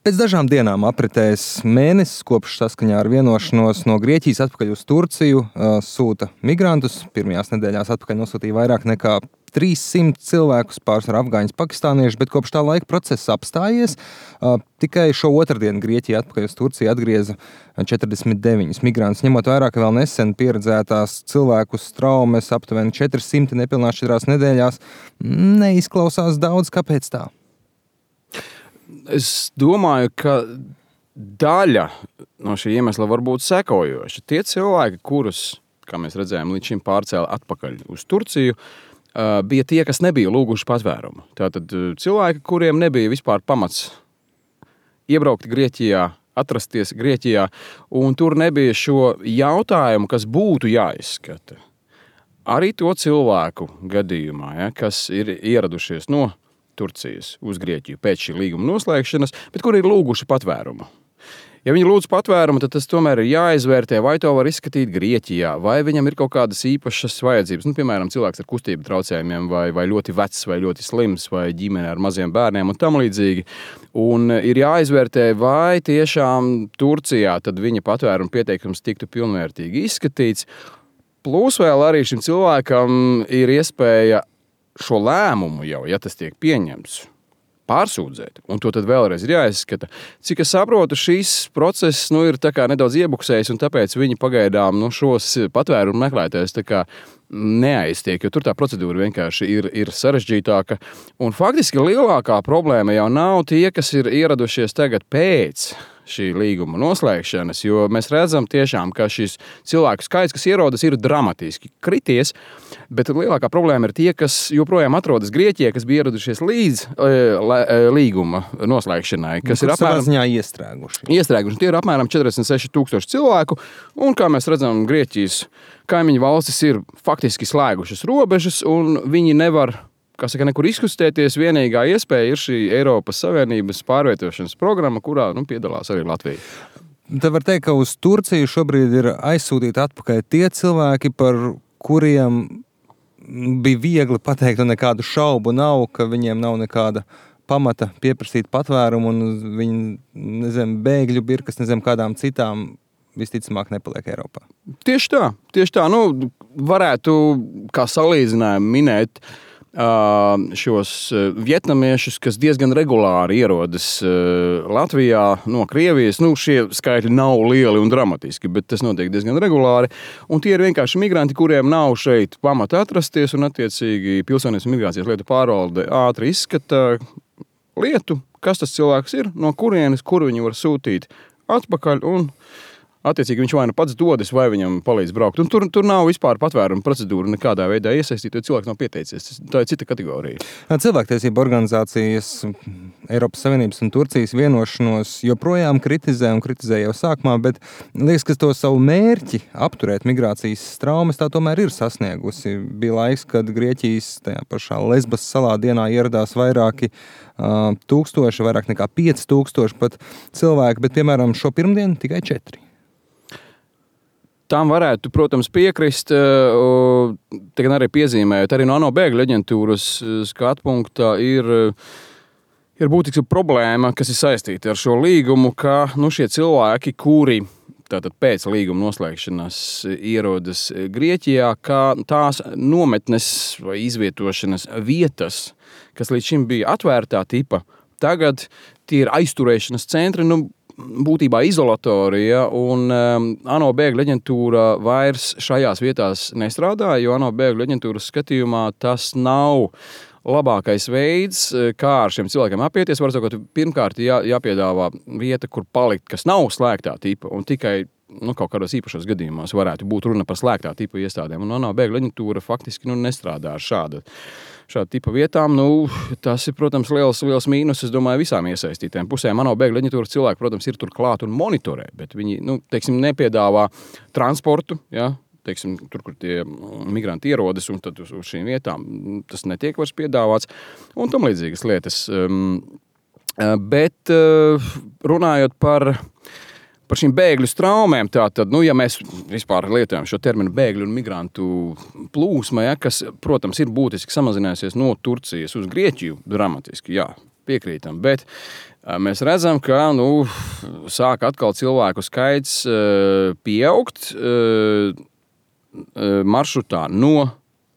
Pēc dažām dienām apritēs mēnesis, kopš saskaņā ar vienošanos no Grieķijas atpakaļ uz Turciju sūta migrantus. Pirmajās nedēļās atpakaļ nosūtīja vairāk nekā 300 cilvēkus, pārsvarā afgāņus, pakistānieši, bet kopš tā laika process apstājies. Tikai šo otrdienu Grieķija atpakaļ uz Turciju atgrieza 49 migrantus, ņemot vērā, ka vēl nesen pieredzētās cilvēku traumas aptuveni 400 nepilnās 4 nedēļās. Neizklausās daudz, kāpēc tā? Es domāju, ka daļa no šī iemesla var būt sekojoša. Tie cilvēki, kurus, kā mēs redzējām, līdz šim pārcēla atpakaļ uz Turciju, bija tie, kas nebija lūguši patvērumu. Tātad cilvēki, kuriem nebija vispār pamats iebraukt Grieķijā, atrasties Grieķijā, un tur nebija šo jautājumu, kas būtu jāizskata. Arī to cilvēku gadījumā, kas ir ieradušies no Turcijas uz Grieķiju pēc šī līguma noslēgšanas, bet kuri ir lūguši patvērumu. Ja viņi lūdz patvērumu, tad tas tomēr ir jāizvērtē, vai to var izskatīt Grieķijā, vai viņam ir kaut kādas īpašas vajadzības. Piemēram, cilvēks ar kustību traucējumiem, vai ļoti vecs, vai ļoti slims, vai ģimene ar maziem bērniem un tam līdzīgi. Un ir jāizvērtē, vai tiešām Turcijā tad viņa patvērumu pieteikums tiktu pilnvērtīgi izskatīts. Plus vēl arī šim cilvēkam ir iespēja šo lēmumu jau, ja tas tiek pieņemts, pārsūdzēt, un to tad vēlreiz ir jāizskata. Cik es saprotu, šīs process ir tā kā nedaudz iebuksējis, un tāpēc viņi pagaidām šos patvērumu meklētājus tā kā neaiztiek, jo tur tā procedūra vienkārši ir sarežģītāka. Un faktiski lielākā problēma jau nav tie, kas ir ieradušies tagad pēc šī līguma noslēgšanas, jo mēs redzam tiešām, ka šis cilvēku skaits, kas ierodas, ir dramatiski krities, bet lielākā problēma ir tie, kas joprojām atrodas Grieķijā, kas bija ieradušies līdz līguma noslēgšanai, kas ir apmēram iestrēguši. Tie ir apmēram 46,000 cilvēku, un kā mēs redzam, Grieķijas kaimiņu valstis ir faktiski slēgušas robežas, un viņi nevar nekur izkustēties. Vienīgā iespēja ir šī Eiropas Savienības pārvietošanas programma, kurā piedalās arī Latvija. Tad var teikt, ka uz Turciju šobrīd ir aizsūtīti atpakaļ tie cilvēki, par kuriem bija viegli pateikt, un nekādu šaubu nav, ka viņiem nav nekāda pamata pieprasīt patvērumu, un viņi, bēgļu birkas, kādām citām visticamāk nepaliek Eiropā. Tieši tā. Varētu kā salīdzinājumu minēt šos vietnamiešus, kas diezgan regulāri ierodas Latvijā no Krievijas. Šie skaitļi nav lieli un dramatiski, bet tas notiek diezgan regulāri. Un tie ir vienkārši migranti, kuriem nav šeit pamata atrasties, un attiecīgi Pilsonības un migrācijas lietu pārvalde ātri izskata lietu, kas tas cilvēks ir, no kurienes, kur viņu var sūtīt atpakaļ, un attiecīgi viņš vai pats dodas, vai viņam palīdz braukt. Un tur nav vispār patvērumu procedūra nekādā veidā iesaistīt, jo cilvēks nav pieteicies. Tā ir cita kategorija. Cilvēktiesību organizācijas Eiropas Savienības un Turcijas vienošanos joprojām kritizē un kritizē jau sākumā, bet liekas, ka to savu mērķi apturēt migrācijas traumas tā tomēr ir sasniegusi. Bija laiks, kad Grieķijas tajā pašā Lesbas salā dienā ieradās vairāki tūkstoši, vairāk nekā 5,000 pat cilvēki, bet, piemēram, šo pirmdienu tikai 4. Tam varētu, protams, piekrist, tagad arī piezīmējot, arī no ANO bēgļu aģentūras skatu punktā ir būtiska problēma, kas ir saistīta ar šo līgumu, ka šie cilvēki, kuri tātad pēc līguma noslēgšanas ierodas Grieķijā, ka tās nometnes vai izvietošanas vietas, kas līdz šim bija atvērtā tipa, tagad tie ir aizturēšanas centri, būtībā izolatorija, un ANO bēgļu aģentūra vairs šajās vietās nestrādā, jo ANO bēgļu aģentūras skatījumā tas nav labākais veids, kā ar šiem cilvēkiem apieties. Var sakot, pirmkārt jāpiedāvā vieta, kur palikt, kas nav slēgtā tipa, un tikai kaut kādos īpašos gadījumos varētu būt runa par slēgtā tipa iestādēm. Un ANO bēgļu aģentūra faktiski nestrādā ar šādu tipa vietām. Tas ir, protams, liels mīnus, es domāju, visām iesaistītēm pusēm. ANO bēgļu aģentūras cilvēki, protams, ir tur klāt un monitorē, bet viņi, nepiedāvā transportu, tur, kur tie migranti ierodas, un tad uz šīm vietām tas netiek vairs piedāvāts, un tam līdzīgas lietas. Bet runājot par šīm bēgļu traumēm, tātad, ja mēs vispār lietojam šo terminu bēgļu un migrantu plūsma, kas, protams, ir būtiski samazinājusies no Turcijas uz Grieķiju, dramatiski, piekrītam, bet Mēs redzam, ka sāk atkal cilvēku skaits pieaugt maršrutā no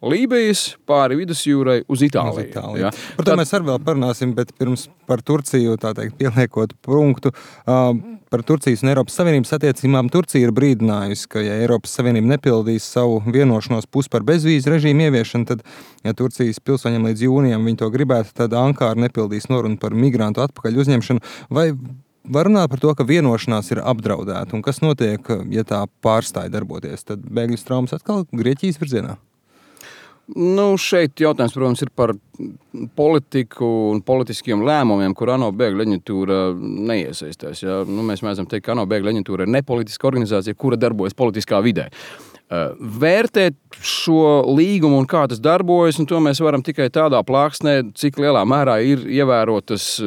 Lībijas pāri vidusjūrai uz Itāliju. Ja? Par to mēs arī vēl parunāsim, bet pirms par Turciju, tā teikt, pieliekot punktu, par Turcijas un Eiropas Savienības attiecībām. Turcija ir brīdinājusi, ka ja Eiropas Savienība nepildīs savu vienošanos pusi par bezvīzu režīmu ieviešanu, tad, ja Turcijas pilsoņiem līdz jūnijam viņi to gribētu, tad Ankara nepildīs norunu par migrantu atpakaļ uzņemšanu. Vai var runāt par to, ka vienošanās ir apdraudēta? Un kas notiek, ja tā pārstāja darboties? Tad bēgļu traumas atkal Grieķijas virzienā? Šeit jautājums, protams, ir par politiku un politiskiem lēmumiem, kur ANO bēgļu aģentūra neiesaistās. Ja? Mēs mēdzam teikt, ka ANO bēgļu aģentūra ir nepolitiska organizācija, kura darbojas politiskā vidē. Vērtēt šo līgumu un kā tas darbojas, un to mēs varam tikai tādā plāksnē, cik lielā mērā ir ievērotas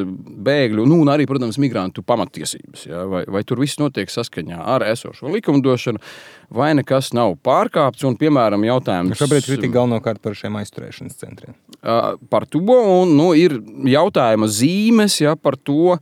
bēgļu, un arī, protams, migrantu pamattiesības. Ja? Vai tur viss notiek saskaņā ar esošo likumdošanu, vai nekas nav pārkāpts, un, piemēram, jautājums... Šobrīd kritika galvenokārt par šiem aizturēšanas centriem. Par to, un ir jautājuma zīmes, ja, par to,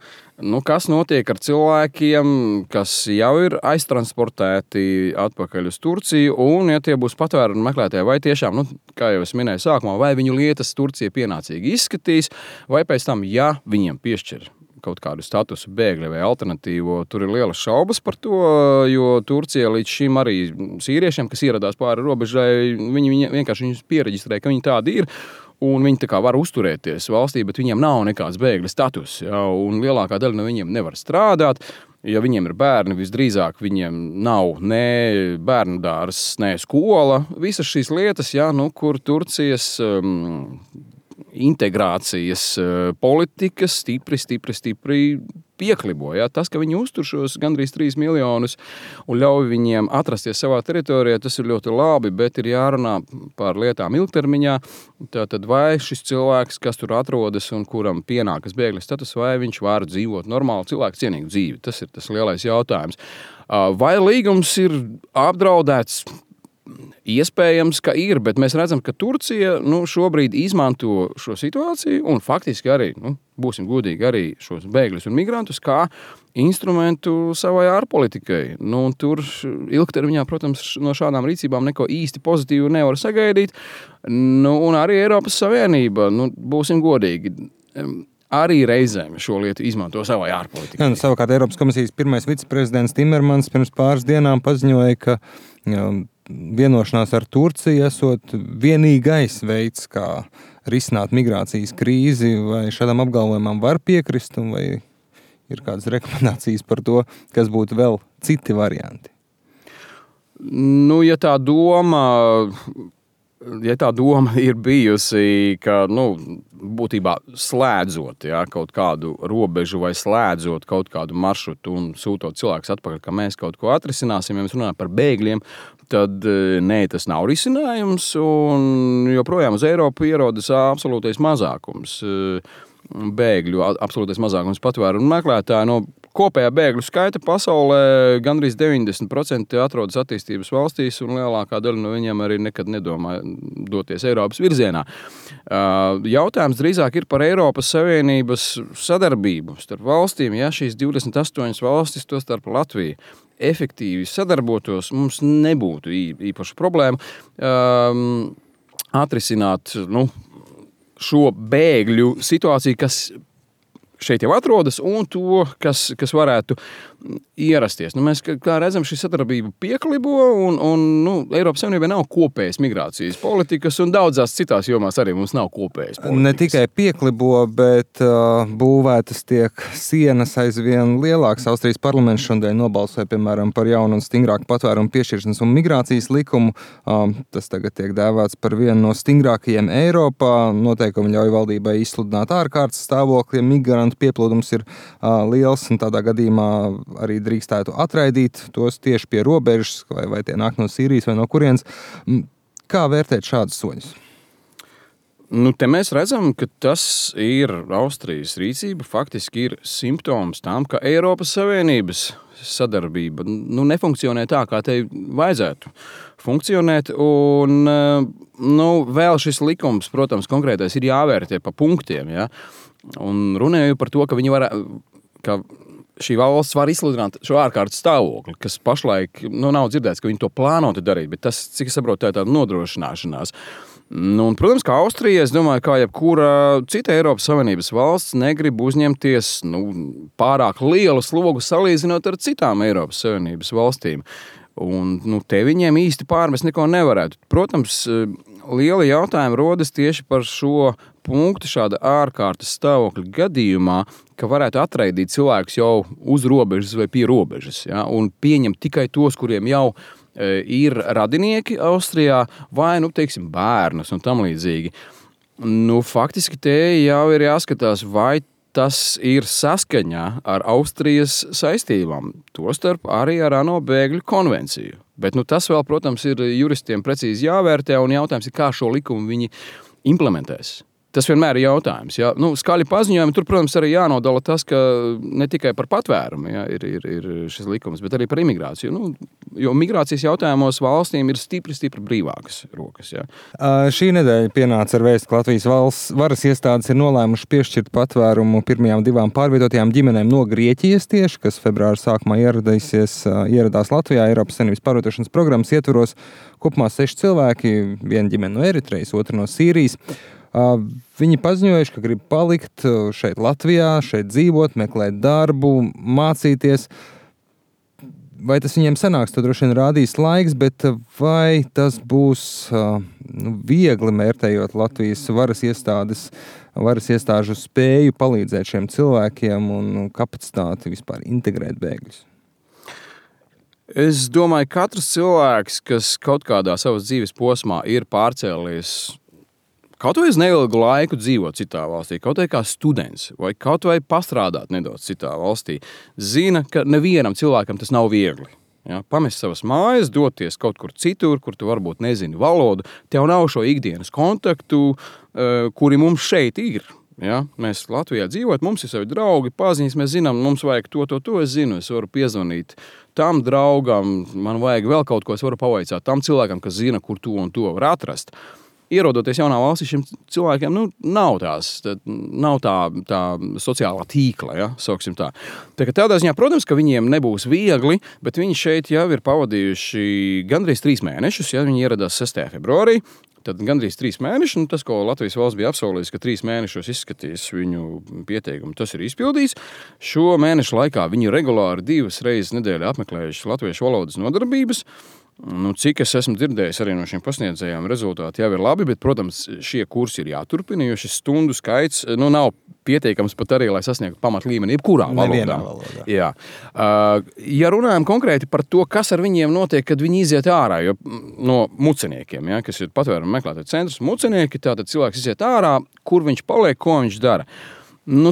kas notiek ar cilvēkiem, kas jau ir aiztransportēti atpakaļ uz Turciju, un, ja tie būs patvērumu meklētāji, vai tiešām, kā jau es minēju sākumā, vai viņu lietas Turcija pienācīgi izskatīs, vai pēc tam, ja viņiem piešķir kaut kādu statusu bēgļi vai alternatīvo, tur ir lielas šaubas par to, jo Turcija līdz šim arī sīriešiem, kas ieradās pāri robežai, viņi vienkārši viņus piereģistrēja, ka viņi tādi ir, un viņi tā kā var uzturēties valstī, bet viņiem nav nekāds bēgļa status, ja, un lielākā daļa no viņiem nevar strādāt. Ja viņiem ir bērni, visdrīzāk viņiem nav ne bērnu dārzs, ne skola. Visas šīs lietas, ja, kur Turcijas integrācijas politikas stipri pieklibo. Ja? Tas, ka viņi uztur šos gandrīz 3 miljonus un ļauj viņiem atrasties savā teritorijā, tas ir ļoti labi, bet ir jārunā par lietām ilgtermiņā. Tātad vai šis cilvēks, kas tur atrodas un kuram pienākas bēgļa status, vai viņš var dzīvot normālu cilvēku cienīgu dzīvi? Tas ir tas lielais jautājums. Vai līgums ir apdraudēts? Iespējams, ka ir, bet mēs redzam, ka Turcija šobrīd izmanto šo situāciju un faktiski arī, būsim godīgi, arī šos bēgļus un migrantus kā instrumentu savai ārpolitikai. Tur ilgtermiņā, protams, no šādām rīcībām neko īsti pozitīvu nevar sagaidīt. Un arī Eiropas Savienība, būsim godīgi, arī reizēm šo lietu izmanto savai ārpolitikai. Savukārt Eiropas komisijas pirmais viceprezidents Timermans pirms pāris dienām paziņoja, ka vienošanās ar Turciju esot vienīgais veids, kā risināt migrācijas krīzi, vai šādam apgalvojumam var piekrist, un vai ir kādas rekomendācijas par to, kas būtu vēl citi varianti? Ja tā doma ir bijusi, ka, būtībā slēdzot kaut kādu robežu vai slēdzot kaut kādu maršrutu un sūtot cilvēkus atpakaļ, ka mēs kaut ko atrisināsim, ja mēs runājam par bēgļiem, tad nē, tas nav risinājums, un joprojām uz Eiropu ierodas absolūtais mazākums bēgļu, absolūtais mazākums patvērumu meklētāju. No kopējā bēgļu skaita pasaulē gandrīz 90% atrodas attīstības valstīs, un lielākā daļa no viņiem arī nekad nedomā doties Eiropas virzienā. Jautājums drīzāk ir par Eiropas Savienības sadarbību starp valstīm. Ja šīs 28 valstis, to starp Latviju, efektīvi sadarbotos, mums nebūtu īpaša problēma atrisināt šo bēgļu situāciju, kas šeit jau atrodas, un to, kas varētu ierasties. Mēs, kā redzam, šī sadarbība pieklibo, un Eiropas Savienībai nav kopējas migrācijas politikas, un daudzās citās jomās arī mums nav kopējas politikas. Ne tikai pieklibo, bet būvētas tiek sienas aizvien lielākas. Austrijas parlaments šodien nobalsoja, piemēram, par jaunu un stingrāku patvērumu piešķiršanas un migrācijas likumu. Tas tagad tiek dēvēts par vienu no stingrākajiem Eiropā. Noteikumi ļauj valdībai izsludināt ārkārtas stāvokli, ja migrantu pieplūdums ir liels, un tādā gadījumā arī drīkstētu atraidīt tos tieši pie robežas, vai tie nāk no Sīrijas vai no kurienes. Kā vērtēt šādus soļus? Te mēs redzam, ka tas ir Austrijas rīcība, faktiski ir simptoms tam, ka Eiropas Savienības sadarbība nefunkcionē tā, kā tai vajadzētu funkcionēt, un vēl šis likums, protams, konkrētais ir jāvērtē pa punktiem, ja? Un runēju par to, ka viņi ka šī valsts var izsludināt šo ārkārtas stāvokli, kas pašlaik nav dzirdēts, ka viņi to plānoti darīt, bet tas, cik es saprotu, tā ir tāda nodrošināšanās. Un, protams, kā Austrija, es domāju, kā jebkura cita Eiropas Savienības valsts negrib uzņemties pārāk lielu slogu salīdzinot ar citām Eiropas Savienības valstīm. Un, te viņiem īsti pārmest neko nevarētu. Protams, liela jautājuma rodas tieši par šo punktu šāda ārkārtas stāvokļa gadījumā, ka varētu atraidīt cilvēkus jau uz robežas vai pie robežas, ja, un pieņemt tikai tos, kuriem jau ir radinieki Austrijā vai, teiksim, bērnus un tam līdzīgi. Faktiski te jau ir jāskatās, vai tas ir saskaņā ar Austrijas saistībām, tostarp arī ar ANO bēgļu konvenciju. Bet tas vēl, protams, ir juristiem precīzi jāvērtē, un jautājums ir, kā šo likumu viņi implementēs. Tas vienmēr ir jautājums. Ja? Skaļi paziņojumi, tur, protams, arī jānodala tas, ka ne tikai par patvērumu ir šis likums, bet arī par imigrāciju. Jo migrācijas jautājumos valstīm ir stipri brīvākas rokas. Ja? Šī nedēļa pienāca ar vēstu, ka Latvijas valsts varas iestādes ir nolēmuši piešķirt patvērumu pirmajām 2 pārvietotajām ģimenēm no Grieķijas tieši, kas februāra sākumā ieradās Latvijā Eiropas Savienības pārvietošanas programmas ietvaros. Kopumā 6 cilvēki, viena ģimene no Eritrejas, otra no Sīrijas. Viņi paziņojuši, ka grib palikt šeit Latvijā, šeit dzīvot, meklēt darbu, mācīties. Vai tas viņiem sanāks, to droši vien rādīs laiks, bet vai tas būs viegli mērtējot Latvijas varas iestāžu spēju palīdzēt šiem cilvēkiem un kapacitāti vispār integrēt bēgļus? Es domāju, katrs cilvēks, kas kaut kādā savas dzīves posmā ir pārcēlies kaut vai uz neilgu laiku dzīvot citā valstī, kaut vai kā students, vai kaut vai pastrādāt nedaudz citā valstī, zina, ka nevienam cilvēkam tas nav viegli. Ja? Pamest savas mājas, doties kaut kur citur, kur tu varbūt nezini valodu, tev nav šo ikdienas kontaktu, kuri mums šeit ir. Ja? Mēs Latvijā dzīvot, mums ir savi draugi, paziņas, mēs zinām, mums vajag to, es zinu, es varu piezvanīt tam draugam, man vajag vēl kaut ko, es varu pavaicāt tam cilvēkam, kas zina, kur to un to var atrast. Ierodoties jaunā valstī, šiem cilvēkiem nav tā sociālā tīkla, ja, sauksim tā. Tādā ziņā, protams, ka viņiem nebūs viegli, bet viņi šeit jau ir pavadījuši gandrīz 3 mēnešus, ja viņi ieradās 6. februārī. Tad gandrīz 3 mēneši, un tas, ko Latvijas valsts bija apsolījis, ka 3 mēnešos izskatīs viņu pieteikumu, tas ir izpildījis. Šo mēnešu laikā viņi regulāri 2 reizes nedēļā apmeklējuši latviešu valodas nodarbības. Cik es esmu dzirdējis arī no šiem pasniedzējiem, rezultāti jau ir labi, bet, protams, šie kursi ir jāturpina, jo šis stundu skaits nav pietiekams pat arī, lai sasniegtu pamatlīmeni jebkurā valodā. Jā. Ja runājam konkrēti par to, kas ar viņiem notiek, kad viņi iziet ārā, jo no muceniekiem, ja, kas ir patvērumu meklētāju centrs, mucenieki, tātad cilvēks iziet ārā, kur viņš paliek, ko viņš dara.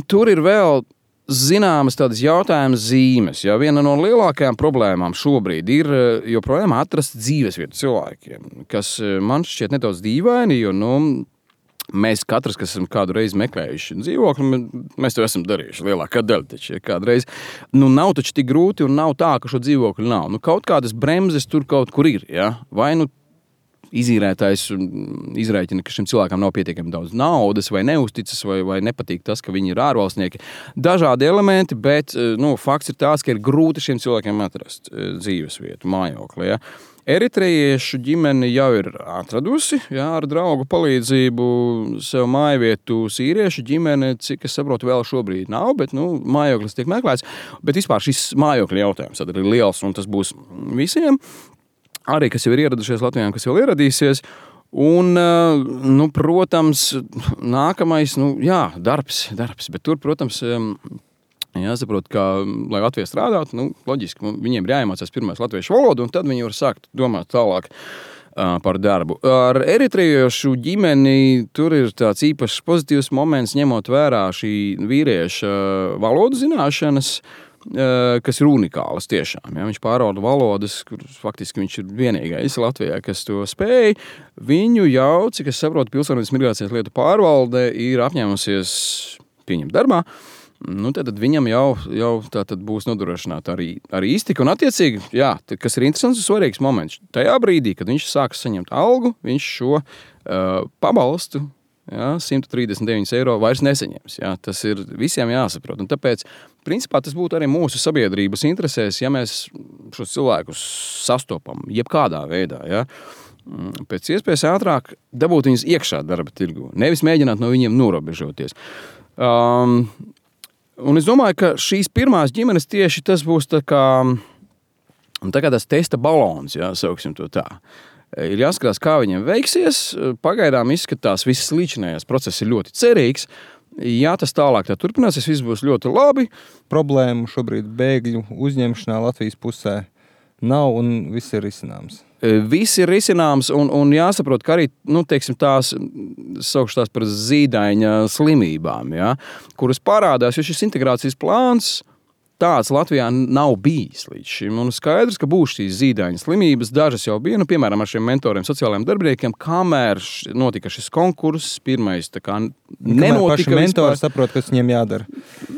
Tur ir vēl zināmas tādas jautājumas zīmes. Ja? Viena no lielākajām problēmām šobrīd ir joprojām atrast dzīvesvietu cilvēkiem, kas man šķiet nedaudz dīvaini, jo mēs katrs, kas esam kādu reizi meklējuši dzīvokli, mēs to esam darījuši lielākā daļa taču kādreiz. Nav taču tik grūti un nav tā, ka šo dzīvokli nav. Kaut kādas bremzes tur kaut kur ir. Ja? Vai izīrētājs izrēķina, ka šim cilvēkam nav pietiekami daudz naudas, vai neuzticas, vai nepatīk tas, ka viņi ir ārvalstnieki. Dažādi elementi, bet fakts ir tāds, ka ir grūti šiem cilvēkiem atrast dzīvesvietu, mājokli. Ja? Eritrejiešu ģimene jau ir atradusi, ar draugu palīdzību sev mājvietu. Sīriešu ģimene, cik es saprotu, vēl šobrīd nav, bet mājoklis tiek meklēts. Bet vispār šis mājokļa jautājums tad ir liels, un tas būs visiem. Arī, kas jau ir ieradušies Latvijā, kas vēl ieradīsies. Un, protams, nākamais, darbs. Bet tur, protams, jāsaprot, ka, lai Latvijā strādātu, loģiski, viņiem ir jāiemācās pirmais latviešu valodu, un tad viņi var sākt domāt tālāk par darbu. Ar eritrejiešu ģimeni tur ir tāds īpašs pozitīvs moments, ņemot vērā šī vīrieša valodu zināšanas, kas ir unikālas tiešām. Ja? Viņš pārvalda valodas, kur faktiski viņš ir vienīgais Latvijā, kas to spēj. Viņu jau, cik es saprotu, Pilsonības migrācijas lietu pārvalde ir apņēmusies pieņemt darbā. Tad viņam jau tātad būs nodrošināta arī iztika un attiecīgi, kas ir interesants un svarīgs moments. Tajā brīdī, kad viņš sāks saņemt algu, viņš šo pabalstu ja, 139 eiro vairs nesaņems. Ja. Tas ir visiem jāsaprot. Un tāpēc, principā, tas būtu arī mūsu sabiedrības interesēs, ja mēs šos cilvēkus sastopam jebkādā veidā. Ja. Pēc iespējas ātrāk dabūt viņus iekšā darba tirgu, nevis mēģināt no viņiem norobežoties. Un es domāju, ka šīs pirmās ģimenes tieši tas būs tā kā tas testa balons, ja, sauksim to tā. Ir jāskatās, kā viņiem veiksies. Pagaidām izskatās, visas līdzinājās process ir ļoti cerīgs. Ja tas tālāk tā turpināsies, viss būs ļoti labi. Problēmu šobrīd bēgļu uzņemšanā Latvijas pusē nav un viss ir risināms. Viss ir risināms un jāsaprot, ka arī, teiksim, saukšu tās par zīdaiņa slimībām, ja, kuras parādās, jo šis integrācijas plāns tāds Latvijā nav bijis līdz šim. Un skaidrs, ka būs šīs zīdaiņa slimības, dažas jau bija, piemēram, ar šiem mentoriem, sociālajiem darbiniekiem, kamēr notika šis konkurss, pirmais nenotika. Paši mentori saprot, kas viņiem jādara.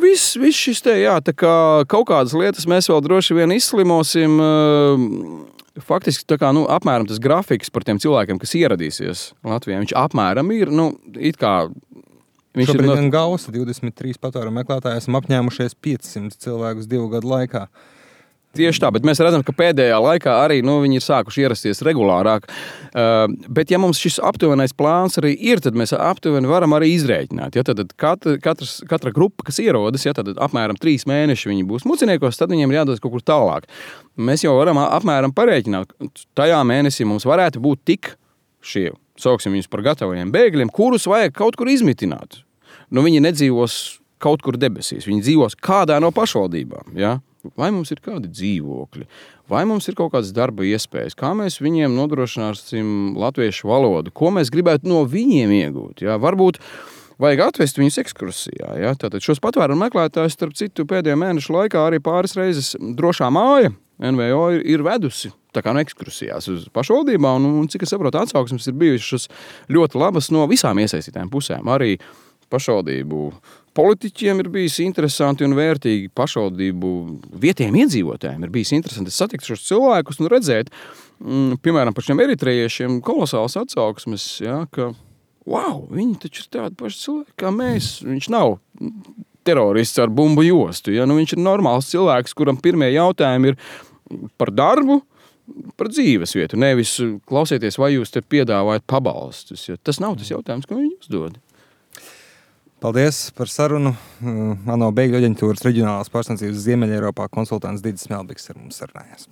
Viss šis tā kā kaut kādas lietas mēs vēl droši vien izslimosim. Faktiski apmēram tas grafiks par tiem cilvēkiem, kas ieradīsies Latvijā, viņš apmēram ir, it kā šobrīd gan gausa 23 patvērumu meklētāji, esam apņēmušies 500 cilvēkus 2 gadu laikā. Tieši tā, bet mēs redzam, ka pēdējā laikā arī viņi ir sākuši ierasties regulārāk. Bet ja mums šis aptuvenais plāns arī ir, tad mēs aptuveni varam arī izrēķināt. Ja, tad katra grupa, kas ierodas, ja, tad apmēram 3 mēneši viņi būs muciniekos, tad viņiem ir jādodas kaut kur tālāk. Mēs jau varam apmēram parēķināt, tajā mēnesī mums varētu būt tik šie, sauksim viņus par gatavajiem bēgļiem, kurus vajag kaut kur izmitināt. Viņi nedzīvos kaut kur debesīs, viņi dzīvos kādā no pašvaldībām. Ja? Vai mums ir kādi dzīvokļi, vai mums ir kaut kādas darba iespējas, kā mēs viņiem nodrošināsim latviešu valodu, ko mēs gribētu no viņiem iegūt. Ja? Varbūt vajag atvest viņus ekskursijā. Ja? Tātad šos patvērumu meklētājus, starp citu, pēdējo mēnešu laikā arī pāris reizes Drošā māja NVO ir vedusi tā kā ekskursijās uz pašvaldībām, un cik es saprotu, atsauksmes ir bijušas ļoti labas no visām iesaistītām pusēm. Arī pašvaldību politiķiem ir bijis interesanti un vērtīgi, pašvaldību vietējiem iedzīvotājiem ir bijis interesanti satikt šos cilvēkus un redzēt, piemēram, par šiem eritrejiešiem kolosāls atsauksmes, ja, ka, wow, viņi taču ir tādi paši cilvēki kā mēs, viņš nav terorists ar bumbu jostu, ja, viņš ir normāls cilvēks, kuram pirmie jautājumi ir par darbu, par dzīves vietu, nevis klausieties, vai jūs te piedāvājat pabalstus. Ja? Tas nav tas jautājums, ko viņi uzdod. Paldies par sarunu. ANO bēgļu aģentūras reģionālās pārstāvniecības Ziemeļeiropā konsultants Didis Melbiks ar mums sarunājās.